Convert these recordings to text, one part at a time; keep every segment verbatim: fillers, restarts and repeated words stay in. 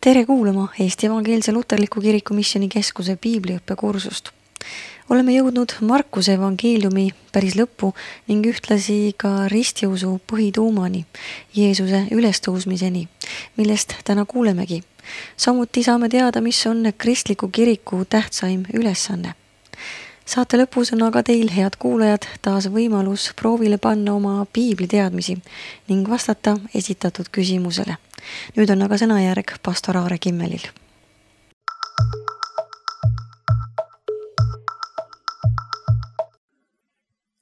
Tere kuulama Eesti Evangeelse Luterliku Kiriku Missioni Keskuse piibliõppekursust. Oleme jõudnud Markuse evangeeliumi päris lõppu ning ühtlasi ka ristiusu põhituumani, Jeesuse ülestõusmiseni, millest täna kuulemegi. Samuti saame teada, mis on kristliku kiriku tähtsaim ülesanne. Saate lõpus on aga teil, head kuulajad, taas võimalus proovile panna oma piibliteadmisi ning vastata esitatud küsimusele. Nüüd on aga sõnajärg pastor Aare Kimmelil.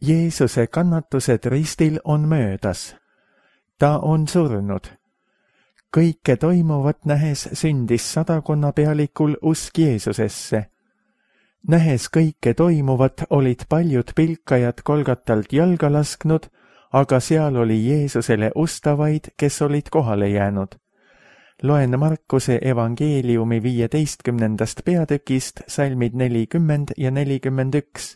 Jeesuse kannatused ristil on möödas. Ta on surnud. Kõike toimuvat nähes sündis sadakonna pealikul usk Jeesusesse. Nähes kõike toimuvat olid paljud pilkajad Golgatalt jalga lasknud, aga seal oli Jeesusele ustavaid, kes olid kohale jäänud. Loen Markuse evangeeliumi viieteistkümnendast peatükist salmid nelikümmend ja nelikümmend üks.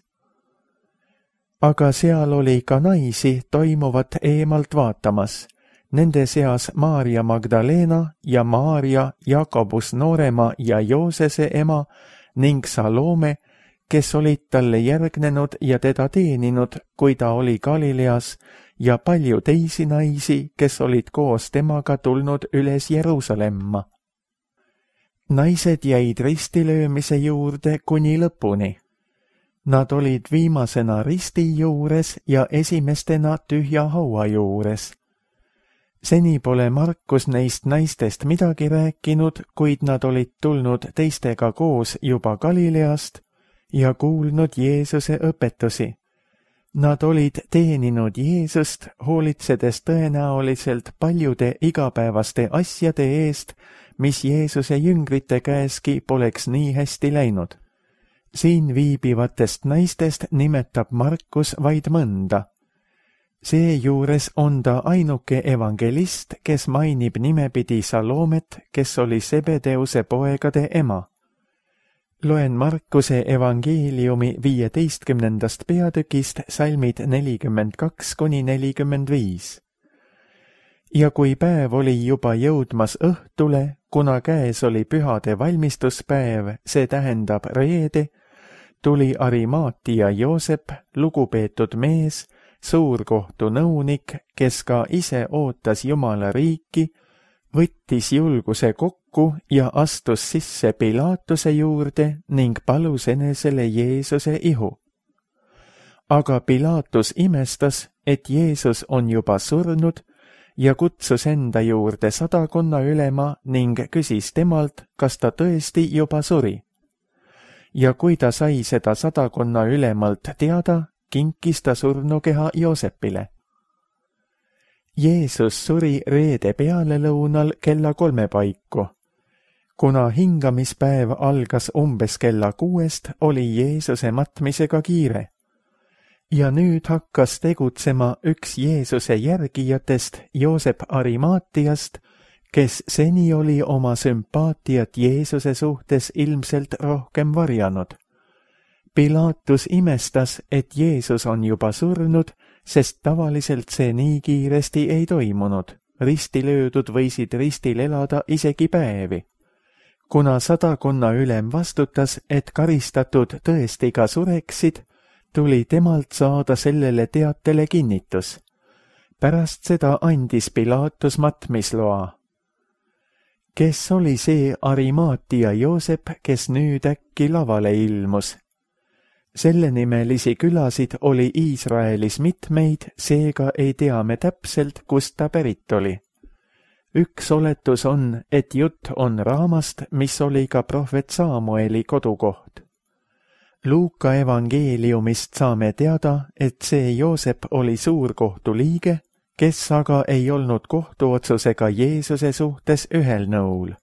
Aga seal oli ka naisi toimuvat eemalt vaatamas. Nende seas Maarja Magdalena ja Maarja Jakobus noorema ja Joosese ema ning Salome, kes olid talle järgnenud ja teda teeninud, kui ta oli Galileas, ja palju teisi naisi, kes olid koos temaga tulnud üles Jeruusalemma. Naised jäid ristilöömise juurde kuni lõpuni. Nad olid viimasena risti juures ja esimestena tühja haua juures. Seni pole Markus neist naistest midagi rääkinud, kuid nad olid tulnud teistega koos juba Galileast ja kuulnud Jeesuse õpetusi. Nad olid teeninud Jeesust, hoolitsedes tõenäoliselt paljude igapäevaste asjade eest, mis Jeesuse jüngrite käeski poleks nii hästi läinud. Siin viibivatest naistest nimetab Markus vaid mõnda. Seejuures on ta ainuke evangelist, kes mainib nimepidi Salomet, kes oli Sebedeuse poegade ema. Loen Markuse evangeeliumi viieteistkümnendast peatükist salmid nelikümmend kaks kuni nelikümmend viis. Ja kui päev oli juba jõudmas õhtule, kuna käes oli pühade valmistuspäev, see tähendab reede, tuli Arimaatia Joosep, lugupeetud mees, suurkohtu nõunik, kes ka ise ootas Jumala riiki, võttis julguse kokku ja astus sisse Pilaatuse juurde ning palus enesele Jeesuse ihu. Aga Pilaatus imestas, et Jeesus on juba surnud ja kutsus enda juurde sadakonna ülema ning küsis temalt, kas ta tõesti juba suri. Ja kui ta sai seda sadakonna ülemalt teada, kinkis ta surnukeha Joosepile. Jeesus suri reede pealelõunal kella kolme paiku. Kuna hingamispäev algas umbes kella kuuest, oli Jeesuse matmisega kiire. Ja nüüd hakkas tegutsema üks Jeesuse järgijatest, Joosep Arimaatiast, kes seni oli oma sümpaatiat Jeesuse suhtes ilmselt rohkem varjanud. Pilaatus imestas, et Jeesus on juba surnud, sest tavaliselt see nii kiiresti ei toimunud. Ristilöödud võisid ristil elada isegi päevi. Kuna sadakonna ülem vastutas, et karistatud tõesti ka sureksid, tuli temalt saada sellele teatele kinnitus. Pärast seda andis Pilaatus matmisloa. Kes oli see Arimaatia Joosep, kes nüüd äkki lavale ilmus? Sellenimelisi külasid oli Iisraelis mitmeid, seega ei tea me täpselt, kust ta pärit oli. Üks oletus on, et jutt on raamast, mis oli ka prohvet Saamueli kodukoht. Luuka evangeeliumist saame teada, et see Joosep oli suurkohtu liige, kes aga ei olnud kohtuotsusega Jeesuse suhtes ühel nõul.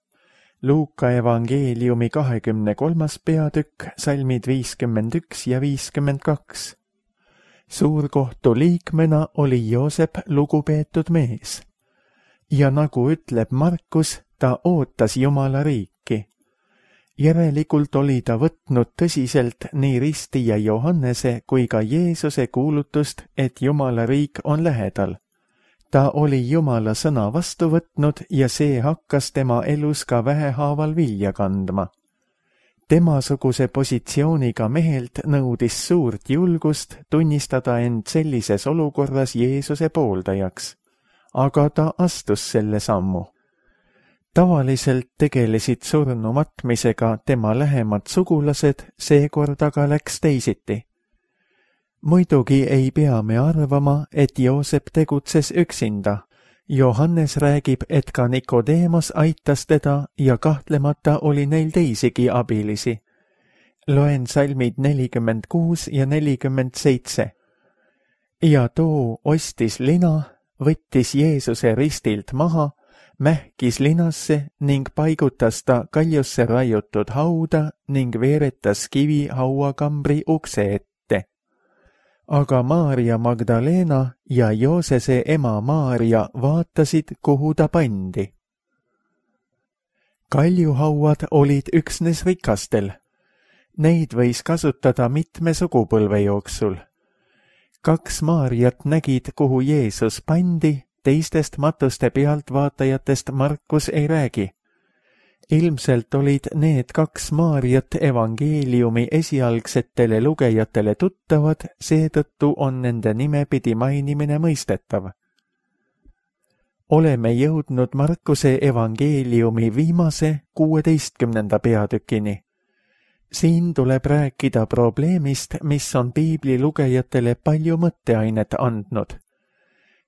Luuka evangeeliumi kahekümne kolmas peatükk, salmid viiskümmend üks ja viiskümmend kaks. Suurkohtu liikmena oli Joosep lugupeetud mees. Ja nagu ütleb Markus, ta ootas Jumala riiki. Järelikult oli ta võtnud tõsiselt nii Risti ja Johannese kui ka Jeesuse kuulutust, et Jumala riik on lähedal. ta oli Jumala sõna vastu võtnud ja see hakkas tema elus ka vähehaaval vilja kandma. Temasuguse positsiooniga mehelt nõudis suurt julgust tunnistada end sellises olukorras Jeesuse pooldajaks, aga ta astus selle sammu. Tavaliselt tegelesid surnu matmisega tema lähemad sugulased, seekord aga läks teisiti. Muidugi ei pea me arvama, et Joosep tegutses üksinda. Johannes räägib, et ka Nikodeemos aitas teda ja kahtlemata oli neil teisigi abilisi. Loen salmid nelikümmend kuus ja nelikümmend seitse. Ja too ostis lina, võttis Jeesuse ristilt maha, mähkis linasse ning paigutas ta kaljusse raiutud hauda ning veeretas kivi hauakambri ukse ette. Aga Maarja Magdalena ja Joosese ema Maarja vaatasid, kuhu ta pandi. Kaljuhauad olid üksnes rikastel. Neid võis kasutada mitme sugupõlve jooksul. Kaks Maarjat nägid, kuhu Jeesus pandi, teistest matuste pealtvaatajatest Markus ei räägi. Ilmselt olid need kaks Maarjat evangeeliumi esialgsetele lugejatele tuttavad, seetõttu on nende nimepidi mainimine mõistetav. Oleme jõudnud Markuse evangeeliumi viimase kuueteistkümnenda peatükini. Siin tuleb rääkida probleemist, mis on piibli lugejatele palju mõtteainet andnud.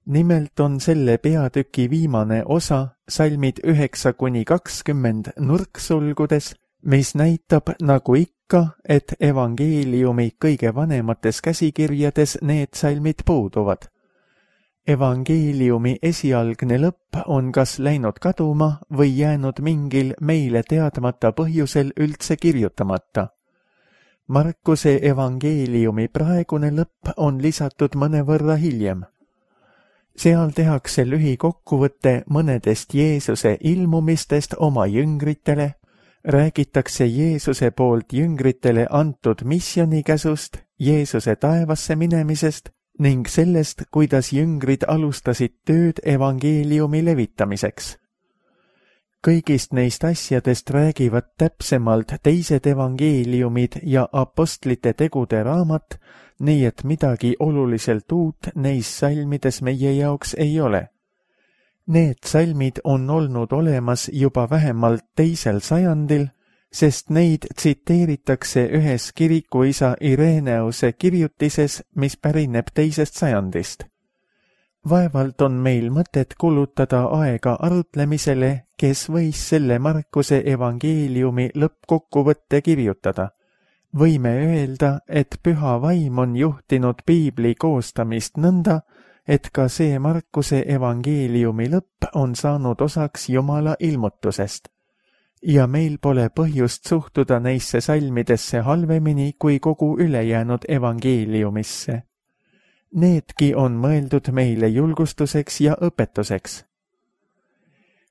Nimelt on selle peatüki viimane osa, salmid üheksa kuni kakskümmend nurksulgudes, mis näitab nagu ikka, et evangeeliumi kõige vanemates käsikirjades need salmid puuduvad. Evangeeliumi esialgne lõpp on kas läinud kaduma või jäänud mingil meile teadmata põhjusel üldse kirjutamata. Markuse evangeeliumi praegune lõpp on lisatud mõnevõrra hiljem. Seal tehakse lühikokkuvõte mõnedest Jeesuse ilmumistest oma jüngritele, räägitakse Jeesuse poolt jüngritele antud missionikäsust, Jeesuse taevasse minemisest ning sellest, kuidas jüngrid alustasid tööd evangeeliumi levitamiseks. Kõigist neist asjadest räägivad täpsemalt teised evangeeliumid ja apostlite tegude raamat, nii et midagi oluliselt uut neis salmides meie jaoks ei ole. Need salmid on olnud olemas juba vähemalt teisel sajandil, sest neid tsiteeritakse ühes kirikuisa Ireneuse kirjutises, mis pärineb teisest sajandist. Vaevalt on meil mõtet kulutada aega arutlemisele, kes võis selle Markuse evangeeliumi lõppkokkuvõtte kirjutada. Võime öelda, et püha vaim on juhtinud piibli koostamist nõnda, et ka see Markuse evangeeliumi lõpp on saanud osaks Jumala ilmutusest. Ja meil pole põhjust suhtuda neisse salmidesse halvemini kui kogu ülejäänud evangeeliumisse. Needki on mõeldud meile julgustuseks ja õpetuseks.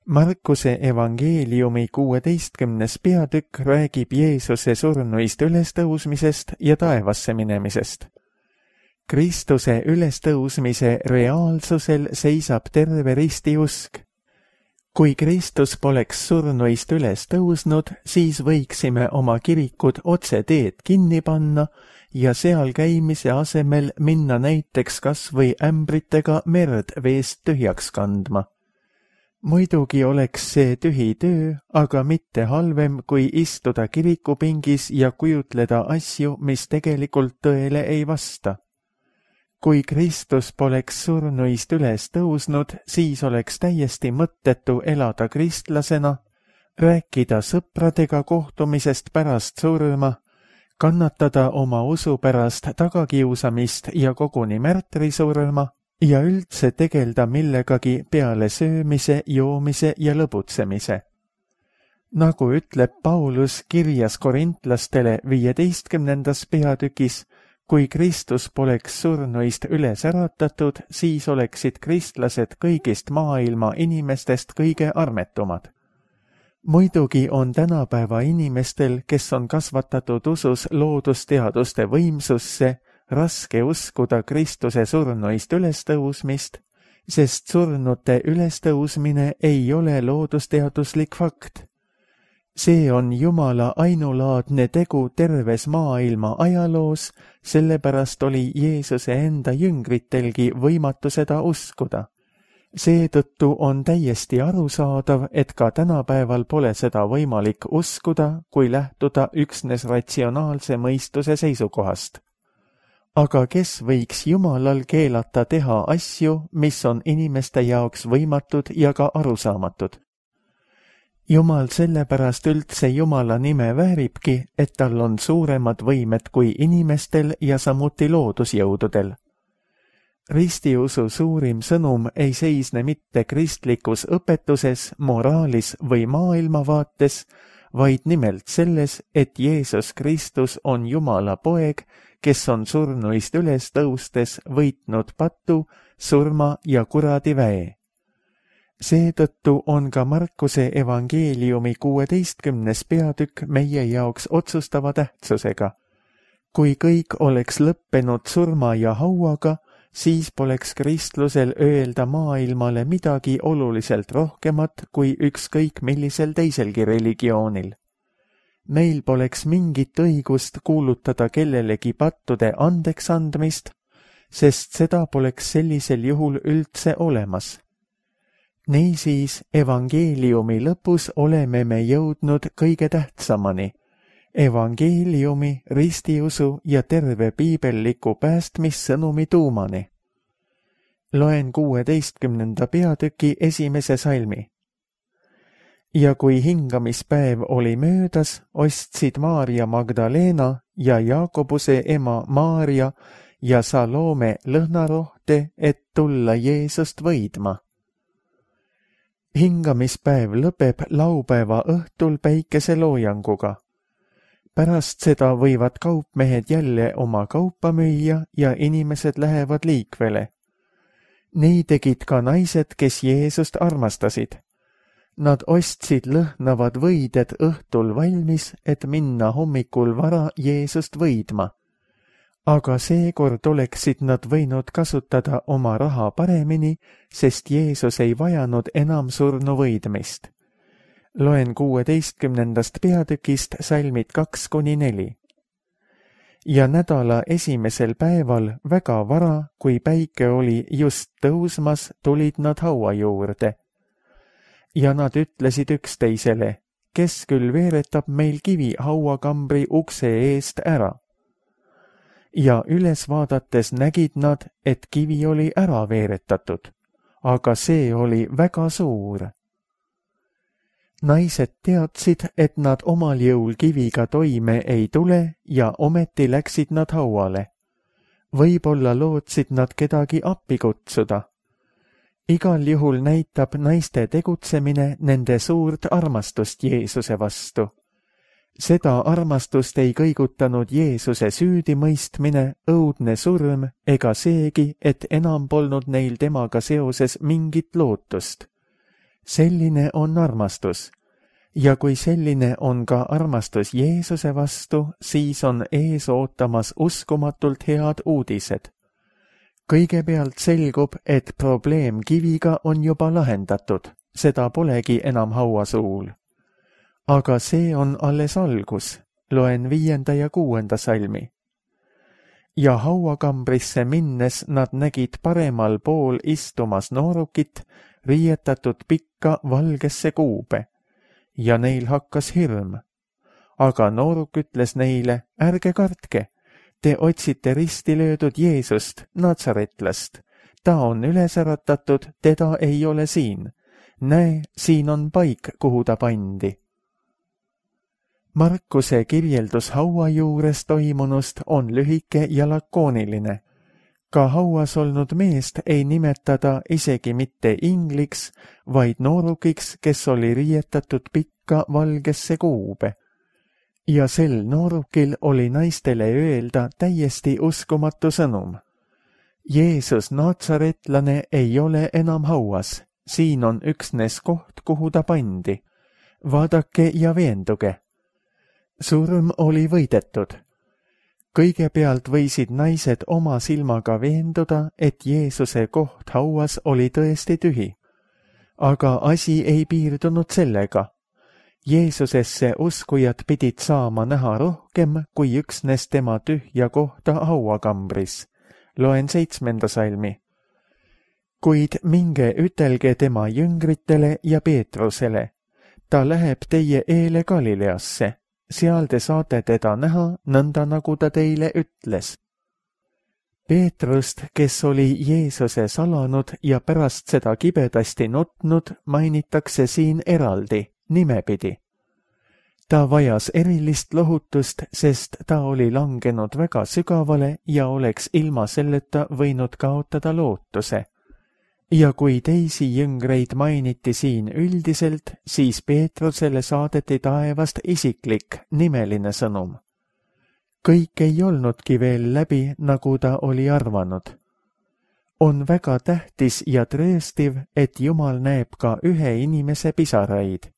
Markuse evangeeliumi kuueteistkümnes peatükk räägib Jeesuse surnuist ülestõusmisest ja taevasse minemisest. Kristuse ülestõusmise reaalsusel seisab terve ristiusk. Kui Kristus poleks surnuist üles tõusnud, siis võiksime oma kirikud otse teed kinni panna ja seal käimise asemel minna näiteks kas või ämbritega merd veest tühjaks kandma. Muidugi oleks see tühi töö, aga mitte halvem, kui istuda kirikupingis ja kujutleda asju, mis tegelikult tõele ei vasta. Kui Kristus poleks surnuist üles tõusnud, siis oleks täiesti mõttetu elada kristlasena, rääkida sõpradega kohtumisest pärast surma, kannatada oma usu pärast tagakiusamist ja koguni märtrisurma ja üldse tegelda millegagi peale söömise, joomise ja lõbutsemise. Nagu ütleb Paulus kirjas korintlastele viieteistkümnendas peatükis, kui Kristus poleks surnuist üles äratatud, siis oleksid kristlased kõigist maailma inimestest kõige armetumad. Muidugi on tänapäeva inimestel, kes on kasvatatud usus loodusteaduste võimsusse, raske uskuda Kristuse surnuist ülestõusmist, sest surnute ülestõusmine ei ole loodusteaduslik fakt. See on Jumala ainulaadne tegu terves maailma ajaloos, sellepärast oli Jeesuse enda jüngritelgi võimatu seda uskuda. Seetõttu on täiesti arusaadav, et ka tänapäeval pole seda võimalik uskuda, kui lähtuda üksnes ratsionaalse mõistuse seisukohast. Aga kes võiks Jumalal keelata teha asju, mis on inimeste jaoks võimatud ja ka arusaamatud? Jumal sellepärast üldse Jumala nime vääribki, et tal on suuremad võimed kui inimestel ja samuti loodusjõududel. Ristiusu suurim sõnum ei seisne mitte kristlikus õpetuses, moraalis või maailmavaates, vaid nimelt selles, et Jeesus Kristus on Jumala poeg, kes on surnuist üles tõustes võitnud patu, surma ja kuradi väe. Seetõttu on ka Markuse evangeeliumi kuueteistkümnes peatükk meie jaoks otsustava tähtsusega. Kui kõik oleks lõppenud surma ja hauaga, siis poleks kristlusel öelda maailmale midagi oluliselt rohkemat kui ükskõik millisel teiselgi religioonil. Meil poleks mingit õigust kuulutada kellelegi pattude andeks andmist, sest seda poleks sellisel juhul üldse olemas. Niisiis, evangeeliumi lõpus oleme me jõudnud kõige tähtsamani, evangeeliumi, ristiusu ja terve piibelliku päästmissõnumi tuumani. Loen kuueteistkümnenda peatüki esimese salmi. Ja kui hingamispäev oli möödas, ostsid Maarja Magdalena ja Jaakobuse ema Maarja ja Salome lõhnarohte, et tulla Jeesust võidma. Hingamispäev lõpeb laupäeva õhtul päikeseloojanguga. Pärast seda võivad kaupmehed jälle oma kaupa müüa ja inimesed lähevad liikvele. Nii tegid ka naised, kes Jeesust armastasid. Nad ostsid lõhnavad võided õhtul valmis, et minna hommikul vara Jeesust võidma. Aga seekord oleksid nad võinud kasutada oma raha paremini, sest Jeesus ei vajanud enam surnu võidmist. Loen kuueteistkümnendast peatükist salmid kaks kuni neli. Ja nädala esimesel päeval väga vara, kui päike oli just tõusmas, tulid nad haua juurde. Ja nad ütlesid üksteisele, kes küll veeretab meil kivi hauakambri ukse eest ära. Ja üles vaadates nägid nad, et kivi oli ära veeretatud, aga see oli väga suur. Naised teadsid, et nad omal jõul kiviga toime ei tule ja ometi läksid nad hauale. Võib-olla lootsid nad kedagi appi kutsuda. Igal juhul näitab naiste tegutsemine nende suurt armastust Jeesuse vastu. Seda armastust ei kõigutanud Jeesuse süüdimõistmine, õudne surm ega seegi, et enam polnud neil temaga seoses mingit lootust. Selline on armastus. Ja kui selline on ka armastus Jeesuse vastu, siis on ees ootamas uskumatult head uudised. Kõigepealt selgub, et probleem kiviga on juba lahendatud, seda polegi enam hauasuul. Aga see on alles algus, loen viienda ja kuuenda salmi. Ja hauakambrisse minnes nad nägid paremal pool istumas noorukit, riietatud pikka valgesse kuube, ja neil hakkas hirm. Aga nooruk ütles neile, ärge kartke, te otsite risti löödud Jeesust, natsaretlast. Ta on üles äratatud, teda ei ole siin. Näe, siin on paik, kuhu ta pandi. Markuse kirjeldus haua juures toimunust on lühike ja lakooniline. Ka hauas olnud meest ei nimetada isegi mitte ingliks, vaid noorukiks, kes oli riietatud pikka valgesse kuube. Ja sel noorukil oli naistele öelda täiesti uskumatu sõnum. Jeesus naatsaretlane ei ole enam hauas, siin on üksnes koht, kuhu ta pandi. Vaadake ja veenduge. Surm oli võidetud. kõigepealt võisid naised oma silmaga veenduda, et Jeesuse koht hauas oli tõesti tühi. Aga asi ei piirdunud sellega. Jeesusesse uskujad pidid saama näha rohkem kui üksnes tema tühja kohta hauakambris. Loen seitsmenda salmi. Kuid minge ütelge tema jüngritele ja Peetrusele. Ta läheb teie eele Galileasse. Seal te saate teda näha, nõnda nagu ta teile ütles. Peetrust, kes oli Jeesuse salanud ja pärast seda kibedasti nutnud, mainitakse siin eraldi, nimepidi. Ta vajas erilist lohutust, sest ta oli langenud väga sügavale ja oleks ilma selleta võinud kaotada lootuse. Ja kui teisi jüngreid mainiti siin üldiselt, siis Peetrusele saadeti taevast isiklik, nimeline sõnum. Kõik ei olnudki veel läbi, nagu ta oli arvanud. On väga tähtis ja trööstiv, et Jumal näeb ka ühe inimese pisaraid.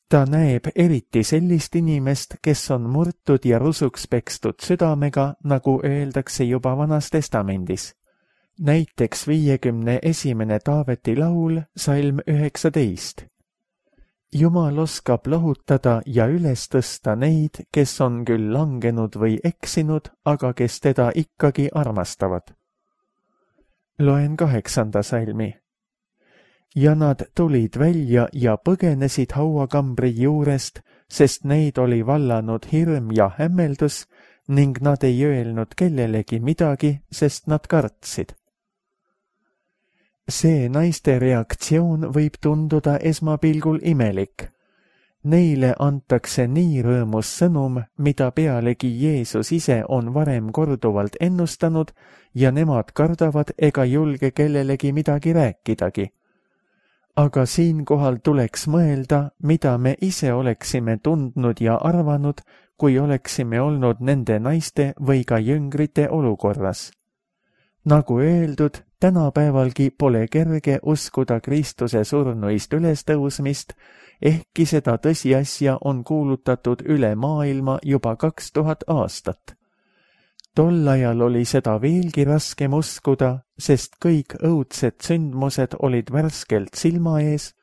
Ta näeb eriti sellist inimest, kes on murtud ja rusuks pekstud südamega, nagu öeldakse juba Vanas Testamendis. Näiteks viiekümne esimene Taaveti laul, salm üheksateist. Jumal oskab lohutada ja üles tõsta neid, kes on küll langenud või eksinud, aga kes teda ikkagi armastavad. Loen kaheksanda salmi. Ja nad tulid välja ja põgenesid hauakambri juurest, sest neid oli vallanud hirm ja hämmeldus ning nad ei öelnud kellelegi midagi, sest nad kartsid. See naiste reaktsioon võib tunduda esmapilgul imelik. Neile antakse nii rõõmus sõnum, mida pealegi Jeesus ise on varem korduvalt ennustanud ja nemad kardavad ega julge kellelegi midagi rääkidagi. Aga siinkohal tuleks mõelda, mida me ise oleksime tundnud ja arvanud, kui oleksime olnud nende naiste või ka jüngrite olukorras. Nagu öeldud, tänapäevalgi pole kerge uskuda Kristuse surnuist ülestõusmist, ehkki seda tõsiasja on kuulutatud üle maailma juba kaks tuhat aastat. Tol ajal oli seda veelgi raskem uskuda, sest kõik õudsed sündmused olid värskelt silma ees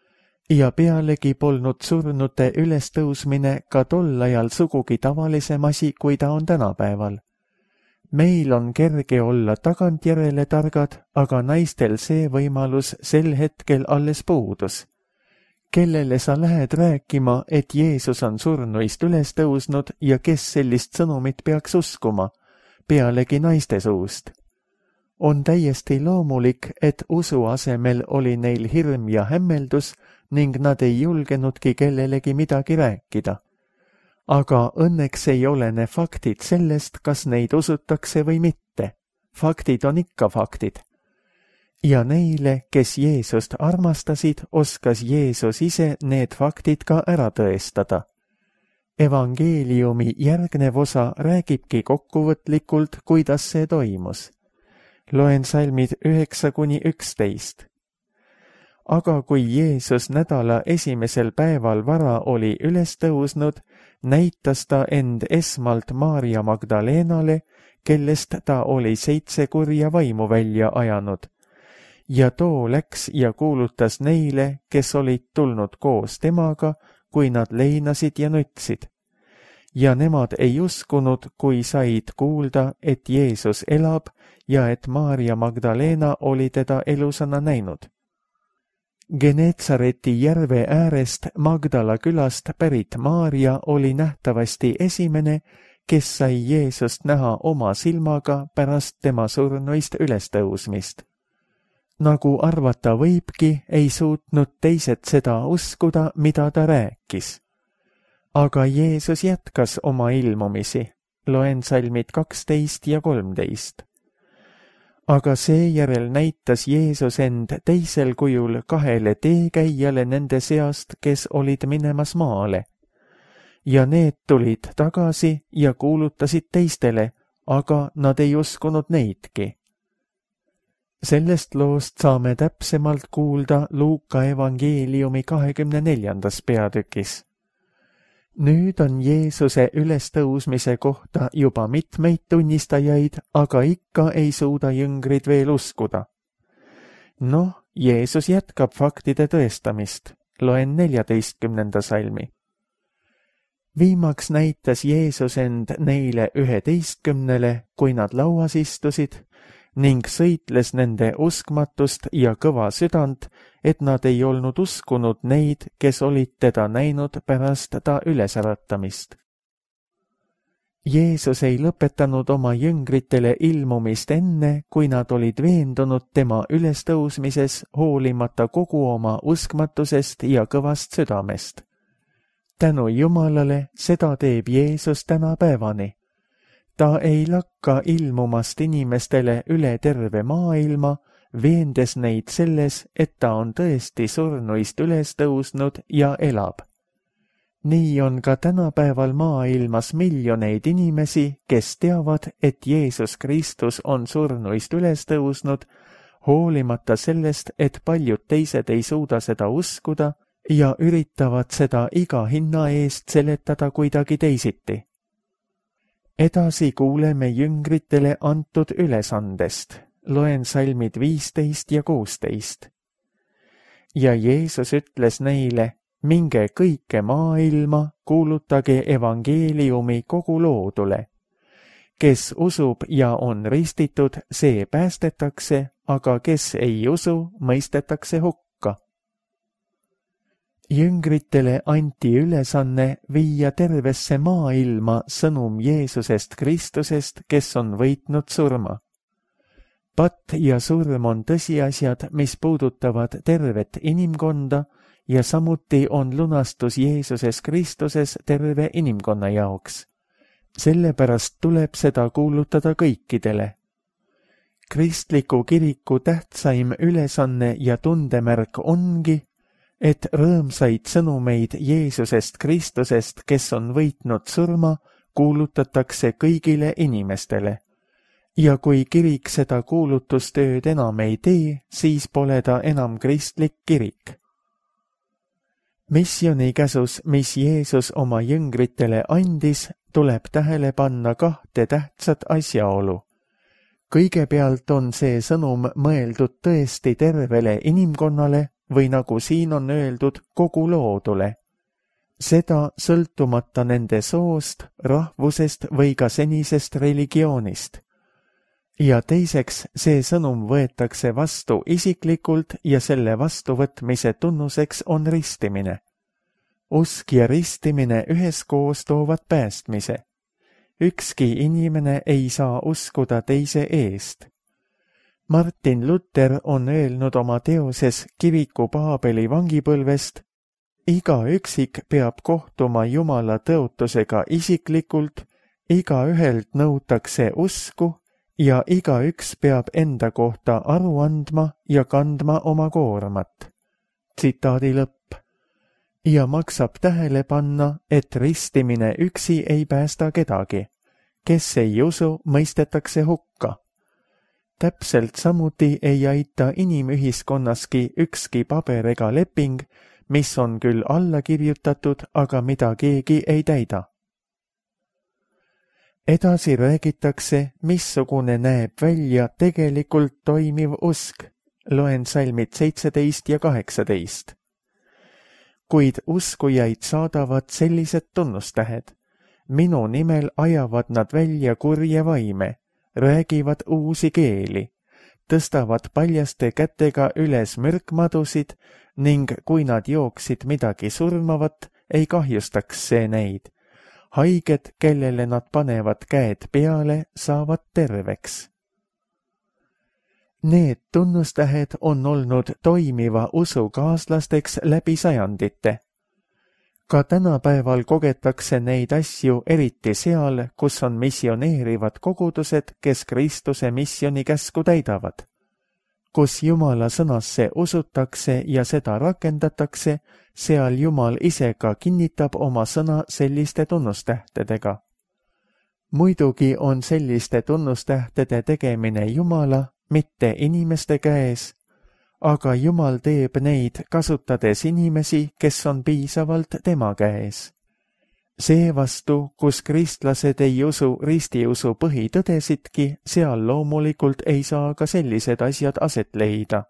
ja pealegi polnud surnute ülestõusmine ka tol ajal sugugi tavalisem asi, kui ta on tänapäeval. Meil on kerge olla tagantjärele targad, aga naistel see võimalus sel hetkel alles puudus. Kellele sa lähed rääkima, et Jeesus on surnuist üles tõusnud ja kes sellist sõnumit peaks uskuma, pealegi naiste suust? On täiesti loomulik, et usu asemel oli neil hirm ja hämmeldus ning nad ei julgenudki kellelegi midagi rääkida. Aga õnneks ei olene faktid sellest, kas neid usutakse või mitte. Faktid on ikka faktid. Ja neile, kes Jeesust armastasid, oskas Jeesus ise need faktid ka ära tõestada. Evangeeliumi järgnev osa räägibki kokkuvõtlikult, kuidas see toimus. Loen salmid üheksa kuni üksteist. Aga kui Jeesus nädala esimesel päeval vara oli üles tõusnud, näitas ta end esmalt Maarja Magdalenale, kellest ta oli seitse kurja vaimu välja ajanud. Ja too läks ja kuulutas neile, kes olid tulnud koos temaga, kui nad leinasid ja nutsid. Ja nemad ei uskunud, kui said kuulda, et Jeesus elab ja et Maarja Magdalena oli teda elusana näinud. Geneetsareti järve äärest Magdala külast pärit Maarja oli nähtavasti esimene, kes sai Jeesust näha oma silmaga pärast tema surnuist ülestõusmist. Nagu arvata võibki, ei suutnud teised seda uskuda, mida ta rääkis. Aga Jeesus jätkas oma ilmumisi. Loen salmid kaksteist ja kolmteist. Aga seejärel näitas Jeesus end teisel kujul kahele teekäijale nende seast, kes olid minemas maale. Ja need tulid tagasi ja kuulutasid teistele, aga nad ei uskunud neidki. Sellest loost saame täpsemalt kuulda Luuka evangeeliumi kahekümne neljandas peatükis. Nüüd on Jeesuse ülestõusmise kohta juba mitmeid tunnistajaid, aga ikka ei suuda jüngrid veel uskuda. Noh, Jeesus jätkab faktide tõestamist. Loen neljateistkümnenda salmi. Viimaks näitas Jeesus end neile üheteistkümnele, kui nad lauas istusid, ning sõitles nende uskmatust ja kõva südant, et nad ei olnud uskunud neid, kes olid teda näinud pärast ta ülesäratamist. Jeesus ei lõpetanud oma jüngritele ilmumist enne, kui nad olid veendunud tema ülestõusmises, hoolimata kogu oma uskmatusest ja kõvast südamest. Tänu Jumalale seda teeb Jeesus tänapäevani. Ta ei lakka ilmumast inimestele üle terve maailma, veendes neid selles, et ta on tõesti surnuist üles tõusnud ja elab. Nii on ka tänapäeval maailmas miljoneid inimesi, kes teavad, et Jeesus Kristus on surnuist üles tõusnud, hoolimata sellest, et paljud teised ei suuda seda uskuda ja üritavad seda iga hinna eest seletada kuidagi teisiti. Edasi kuuleme jüngritele antud ülesandest. Loen salmid viisteist ja kuusteist. Ja Jeesus ütles neile, minge kõike maailma, kuulutage evangeeliumi kogu loodule. Kes usub ja on ristitud, see päästetakse, aga kes ei usu, mõistetakse hukka. Jüngritele anti ülesanne viia tervesse maailma sõnum Jeesusest Kristusest, kes on võitnud surma. Patt ja surm on tõsiasjad, mis puudutavad tervet inimkonda ja samuti on lunastus Jeesuses Kristuses terve inimkonna jaoks. Sellepärast tuleb seda kuulutada kõikidele. Kristliku kiriku tähtsaim ülesanne ja tundemärk ongi, et rõõmsaid sõnumeid Jeesusest Kristusest, kes on võitnud surma, kuulutatakse kõigile inimestele. Ja kui kirik seda kuulutustööd enam ei tee, siis pole ta enam kristlik kirik. Missionikäsus, mis Jeesus oma jüngritele andis, tuleb tähele panna kahte tähtsat asjaolu. Kõigepealt on see sõnum mõeldud tõesti tervele inimkonnale või nagu siin on öeldud, kogu loodule. Seda sõltumata nende soost, rahvusest või ka senisest religioonist. Ja teiseks, see sõnum võetakse vastu isiklikult ja selle vastuvõtmise tunnuseks on ristimine. Usk ja ristimine üheskoos toovad päästmise. Ükski inimene ei saa uskuda teise eest. Martin Luther on öelnud oma teoses Kiviku Paabeli vangipõlvest, iga üksik peab kohtuma Jumala tõotusega isiklikult, iga ühelt nõutakse usku ja igaüks peab enda kohta aru andma ja kandma oma koormat. Tsitaadi lõpp. Ja maksab tähele panna, et ristimine üksi ei päästa kedagi. Kes ei usu, mõistetakse hukka. Täpselt samuti ei aita inimühiskonnaski ükski paber ega leping, mis on küll alla kirjutatud, aga mida keegi ei täida. Edasi räägitakse, missugune näeb välja tegelikult toimiv usk. Loen salmid seitseteist ja kaheksateist. Kuid uskujaid saadavad sellised tunnustähed. Minu nimel ajavad nad välja kurje vaime, räägivad uusi keeli, tõstavad paljaste kätega üles mürkmadusid ning kui nad jooksid midagi surmavat, ei kahjustaks see neid. Haiged, kellele nad panevad käed peale, saavad terveks. Need tunnustähed on olnud toimiva usu kaaslasteks läbi sajandite. Ka tänapäeval kogetakse neid asju eriti seal, kus on missioneerivad kogudused, kes Kristuse missioni käsku täidavad. Kus Jumala sõnasse usutakse ja seda rakendatakse, seal Jumal ise ka kinnitab oma sõna selliste tunnustähtedega. Muidugi on selliste tunnustähtede tegemine Jumala, mitte inimeste käes, aga Jumal teeb neid kasutades inimesi, kes on piisavalt tema käes. Seevastu, kus kristlased ei usu ristiusu põhitõdesidki, seal loomulikult ei saa ka sellised asjad aset leida.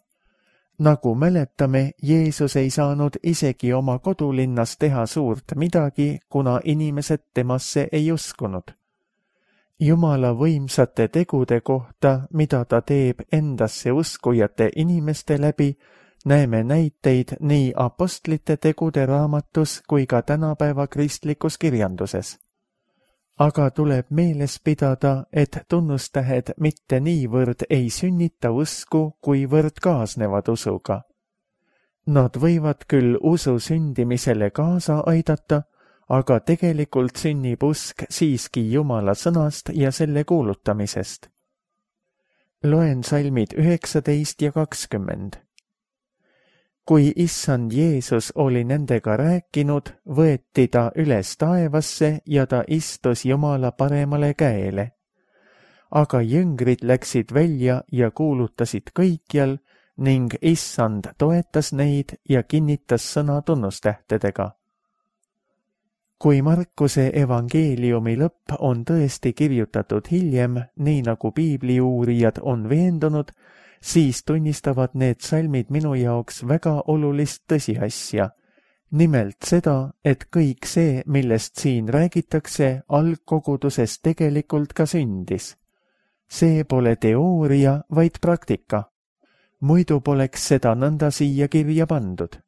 Nagu mäletame, Jeesus ei saanud isegi oma kodulinnas teha suurt midagi, kuna inimesed temasse ei uskunud. Jumala võimsate tegude kohta, mida ta teeb endasse uskujate inimeste läbi, näeme näiteid nii apostlite tegude raamatus kui ka tänapäeva kristlikus kirjanduses. Aga tuleb meeles pidada, et tunnustähed mitte niivõrd ei sünnita usku, kuivõrd kaasnevad usuga. Nad võivad küll usu sündimisele kaasa aidata, aga tegelikult sünnib usk siiski Jumala sõnast ja selle kuulutamisest. Loen salmid üheksateist ja kakskümmend. Kui issand Jeesus oli nendega rääkinud, võeti ta üles taevasse ja ta istus Jumala paremale käele. Aga jüngrid läksid välja ja kuulutasid kõikjal ning issand toetas neid ja kinnitas sõna tunnustähtedega. Kui Markuse evangeeliumi lõpp on tõesti kirjutatud hiljem, nii nagu piibliuurijad on veendunud, siis tunnistavad need salmid minu jaoks väga olulist tõsiasja. Nimelt seda, et kõik see, millest siin räägitakse, algkoguduses tegelikult ka sündis. See pole teooria, vaid praktika. Muidu poleks seda nõnda siia kirja pandud.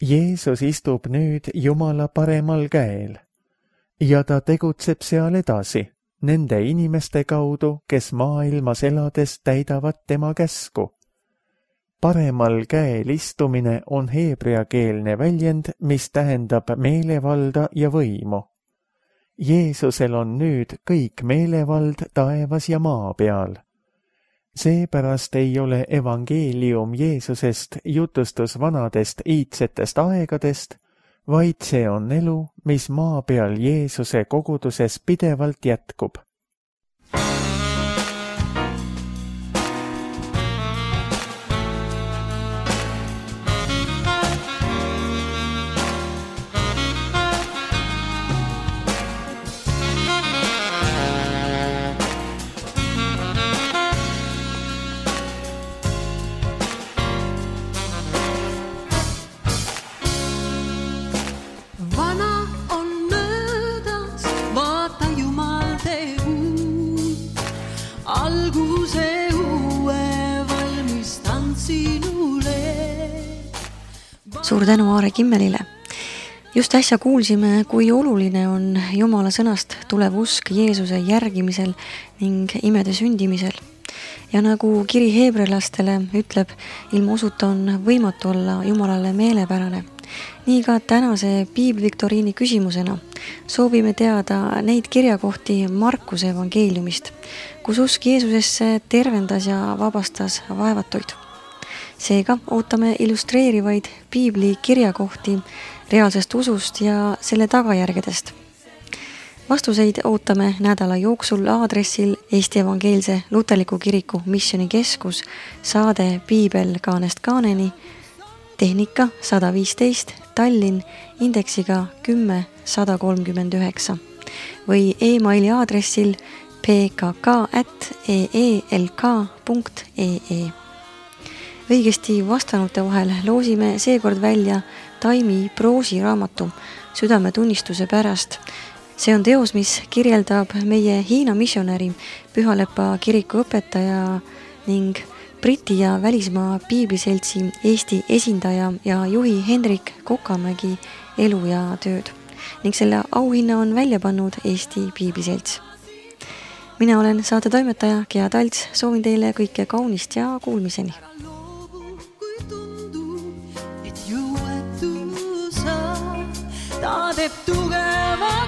Jeesus istub nüüd Jumala paremal käel ja ta tegutseb seal edasi, nende inimeste kaudu, kes maailmas elades täidavad tema käsku. Paremal käel istumine on heebreakeelne väljend, mis tähendab meelevalda ja võimu. Jeesusel on nüüd kõik meelevald taevas ja maa peal. Seepärast ei ole evangeelium Jeesusest jutustus vanadest iidsetest aegadest, vaid see on elu, mis maa peal Jeesuse koguduses pidevalt jätkub. Suur tänu Aare Kimmelile. Just äsja kuulsime, kui oluline on Jumala sõnast tulev usk Jeesuse järgimisel ning imede sündimisel. Ja nagu kiri heebrealastele ütleb, ilma usuta on võimatu olla Jumalale meelepärane. Nii ka tänase piibliviktoriini küsimusena soovime teada neid kirjakohti Markuse evangeeliumist, kus usk Jeesusesse tervendas ja vabastas vaevatuid. Seega ootame illustreerivaid piibli kirjakohti reaalsest usust ja selle tagajärgedest. Vastuseid ootame nädala jooksul aadressil Eesti Evangeelse Luterliku Kiriku Missioonikeskus, saade Piibel kaanest kaaneni, tehnika sada viisteist, Tallinn, indeksiga kümme sada kolmkümmend üheksa või e-maili aadressil p k k at e e l k punkt e e. Õigesti vastanute vahel loosime seekord välja Taimi Proosi raamatu Südametunnistuse pärast. See on teos, mis kirjeldab meie Hiina missionäri, Pühalepa kiriku õpetaja ning Briti ja välismaa piibliseltsi Eesti esindaja ja juhi Hendrik Kokamägi elu ja tööd. Ning selle auhinna on välja pannud Eesti piibliselts. Mina olen saate toimetaja Gea Talts, soovin teile kõike kaunist ja kuulmiseni. Ta teeb tugeva